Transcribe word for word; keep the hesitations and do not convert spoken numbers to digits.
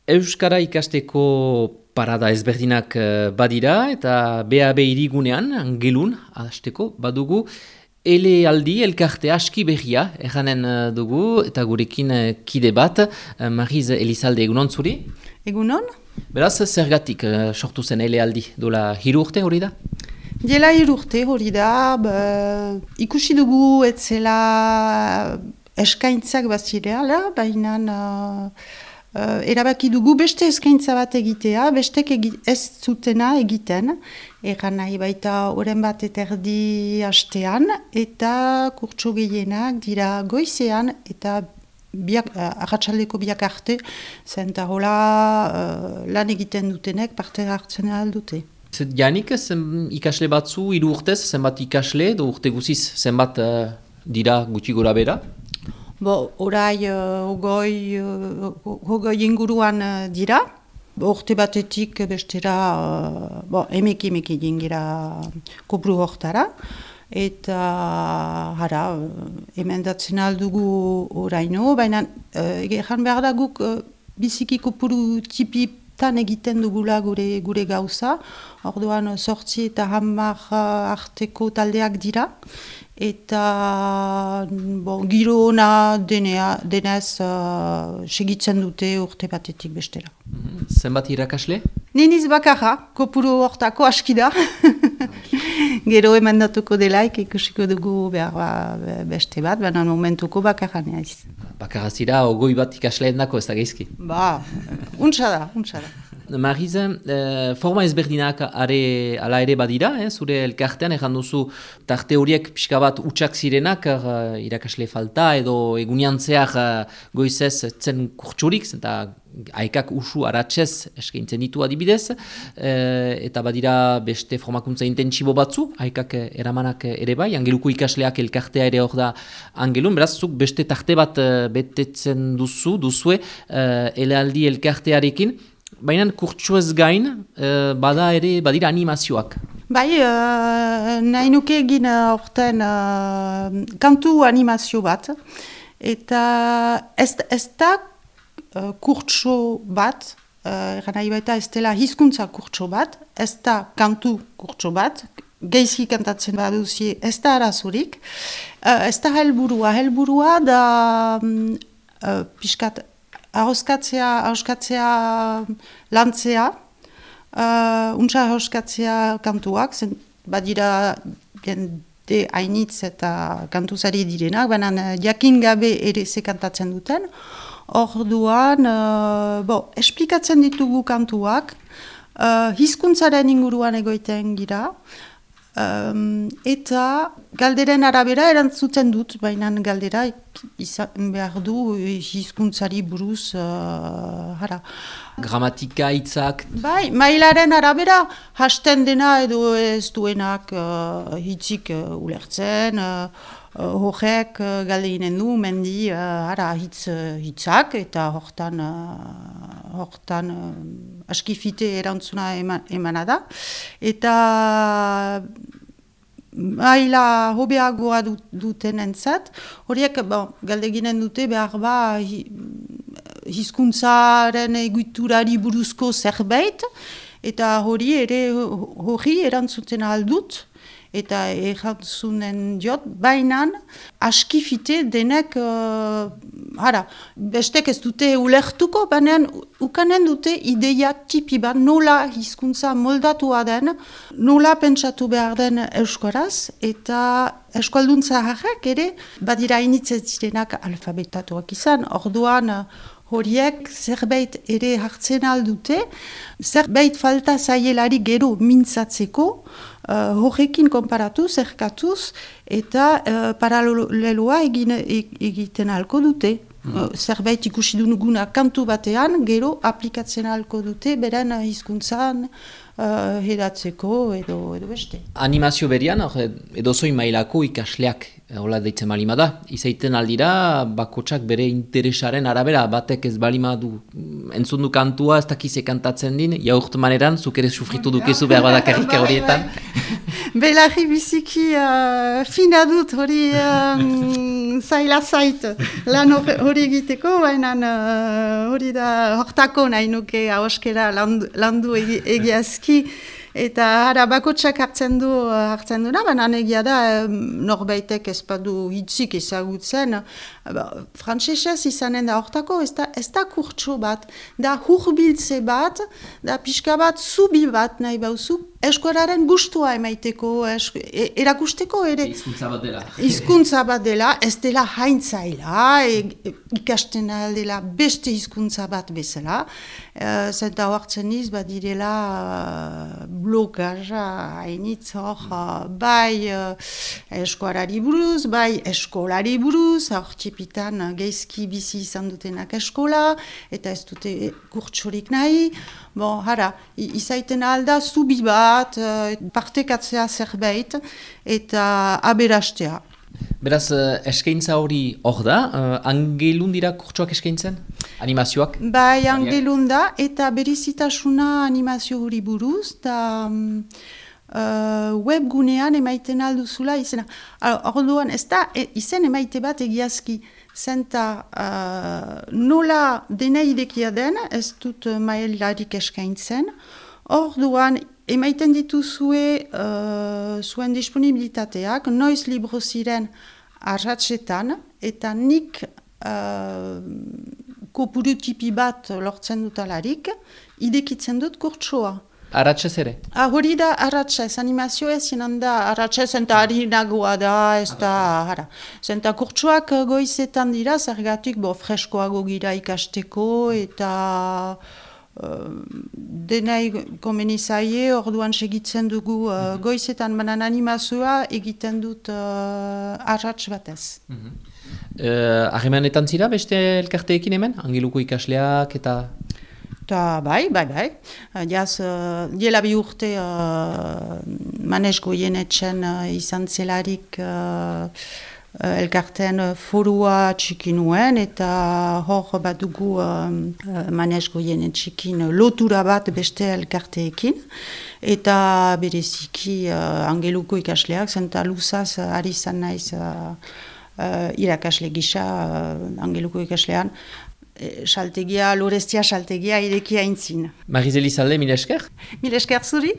Euskara ikasteko parada ezberdinak eh, badira eta B A B irigunean, angelun, hasteko badugu, elealdi elkarte aski berria, erranen eh, dugu, eta gurekin eh, kide bat, eh, Mariz Elizalde, egunon zuri? Egunon? Beraz, zergatik eh, sortu zen elealdi, dola hiru urte hori da? Diela hiru urte hori da, ba, ikusi dugu etzela eskaintzak bazireala, baina uh, uh, erabaki dugu beste eskaintza bat egitea, bestek egi, ez zutena egiten, egan nahi baita oren bat eterdi hastean, eta kurtso gehienak dira goizean, eta biak, uh, arratsaldeko biak arte, zenta hola uh, lan egiten dutenek parte hartzen aldute. Janik, zen ikasle batzu, hiru urtez, zenbat ikasle, do urte guziz, zenbat uh, dira gutxi gora bera? Bo, orai, uh, ogoi, uh, ogoi inguruan uh, dira. Urte batetik bestera, uh, bo, emeki emeki dingira kopru hortara. Eta, hara, emendatzen aldugu oraino, baina uh, egan behar da guk uh, biziki kopuru tipi tan egiten dugula gure, gure gauza. Orduan sortzi eta hamar arteko taldeak dira. Eta bon, giro ona denea, denez uh, segitzen dute urte batetik bestera. Zenbat irakasle? Niniz bakarra, kopuru hortako aski da. Gero emandatuko delaik ikusiko dugu behar ba, beste bat, baina momentuko bakarra naiz. Bakarra zira, ogoi bat ikasleen dako ez da geizki? Ba, untsa da, untsa da. Mariz, eh, forma ezberdinak are, ala ere badira, eh, zure elkartean, egan duzu tarte horiek pixka bat utxak zirenak, uh, irakasle falta edo egunean zehar uh, goizez zen kurtsurik, eta haikak usu aratzez eskaintzen ditu adibidez, eh, eta badira beste formakuntza intentsibo batzu, haikak eramanak ere bai, angeluko ikasleak elkartea ere hor da angelun, beraz, zuk beste tarte bat uh, betetzen duzu, duzue, uh, elealdi elkartearekin, baina kurtsuez gain, uh, bada ere, badira animazioak. Bai, uh, nahi nuke egin horten uh, kantu animazio bat, eta ez, ez da uh, kurtso bat, uh, nahi baita ez dela hizkuntza kurtso bat, ez da kantu kurtso bat, geizki kantatzen baduzi ez da arazurik, uh, ez da helburua, helburua da um, uh, piskat, ahoskatzea, ahoskatzea lantzea, uh, untsa ahoskatzea kantuak, zen badira jende hainitz eta kantuzari direnak, baina jakin gabe ere ze kantatzen duten. Orduan, uh, bo, esplikatzen ditugu kantuak, uh, hizkuntzaren inguruan egoiten gira, Um, eta galderen arabera erantzuten dut, baina galdera izan behar du hizkuntzari buruz, uh, hara. Gramatika, hitzak. Bai, mailaren arabera hasten dena edo ez duenak uh, hitzik uh, ulertzen, uh, uh, horrek uh, galdeinen du, mendi uh, hara, hitz, uh, hitzak, eta hortan, uh, hortan uh, askifite erantzuna eman, emana da. Eta maila hobeagoa duten entzat, horiek bon, galdeginen dute behar ba hizkuntzaren egiturari buruzko zerbait, eta hori ere hori erantzuten aldut, eta erantzunen diot, bainan askifite denek, uh, hara, bestek ez dute ulertuko, baina ukanen dute ideia tipi bat, nola hizkuntza moldatua den, nola pentsatu behar den euskaraz, eta euskalduntza harrak ere, badira initzez direnak alfabetatuak izan, orduan horiek zerbait ere hartzen aldute, zerbait falta zaielari gero mintzatzeko, uh, horrekin konparatu, zerkatuz, eta uh, paraleloa egin, egiten alko dute. Mm. Uh, zerbait ikusi duguna kantu batean, gero aplikatzen alko dute, beren hizkuntzan uh, hedatzeko edo, edo beste. Animazio berian, edo zoi mailako ikasleak, hola deitzen balima da, izaiten aldira, bakotsak bere interesaren arabera, batek ez balima du, entzun du kantua, ez dakize kantatzen din, jaurt maneran, zuk ere sufritu dukezu behar badakarrik horietan. Belarri biziki uh, fina dut hori um, zaila zait lan hori egiteko, baina hori uh, da hortako nahi nuke ahoskera landu, landu egi, egiazki. Eta hara bakotsak hartzen du hartzen duna, baina egia da norbaitek ez badu hitzik ezagutzen. Frantsesez izanen da hortako, ez da, ez da kurtso bat, da hurbiltze bat, da pixka bat zubi bat nahi bauzu, eskuararen gustua emaiteko, esku, e, erakusteko ere. Hizkuntza bat dela. Hizkuntza bat dela, ez dela haintzaila, e, ikasten dela beste hizkuntza bat bezala. E, zenta hartzen iz, bat direla uh, blokaja, hainitz hor, uh, bai uh, eskuarari buruz, bai eskolari buruz, hor txipitan uh, geizki bizi izan dutenak eskola, eta ez dute kurtsorik nahi. Bon, hara, izaiten alda zubi bat, uh, partekatzea zerbait, eta aberastea. Beraz, eskaintza hori hor da, uh, angelun dira kurtsoak eskaintzen? Animazioak? Bai, angelun da, eta berizitasuna animazio hori buruz, da um, uh, webgunean emaiten alduzula izena. Orduan, ez da, e, izen emaite bat egiazki, zenta uh, nola dena idekia den, ez dut mailarik eskaintzen, orduan, emaiten dituzue uh, zuen disponibilitateak, noiz libro ziren arratsetan, eta nik uh, kopuru tipi bat lortzen dutalarik, idekitzen dut kurtsoa. Arratxez ere? Ah, hori da arratxez, animazio ez zinan da arratxez, zenta harinagoa da, ez da, hara. Zenta kurtsoak goizetan dira, zergatik bo freskoago gira ikasteko, eta Uh, denai komeni zaie, orduan segitzen dugu uh, goizetan, banan animazioa egiten dut uh, arratx batez. Harremanetan uh, zira beste elkarteekin hemen? Angeluko ikasleak eta... Ta bai, bai, bai. Jaz, uh, diela bi urte uh, Manes Goienetxen uh, izan zelarik uh, elkartean forua txiki nuen, eta hor bat dugu um, Manes Goienetxekin lotura bat beste elkarteekin, eta bereziki uh, Angeluko ikasleak, zenta luzaz uh, ari zan naiz uh, uh, irakasle gisa uh, Angeluko ikaslean, saltegia, Lorestia saltegia irekia intzin. Marizeli Zalde, mil esker? Mil esker zuri?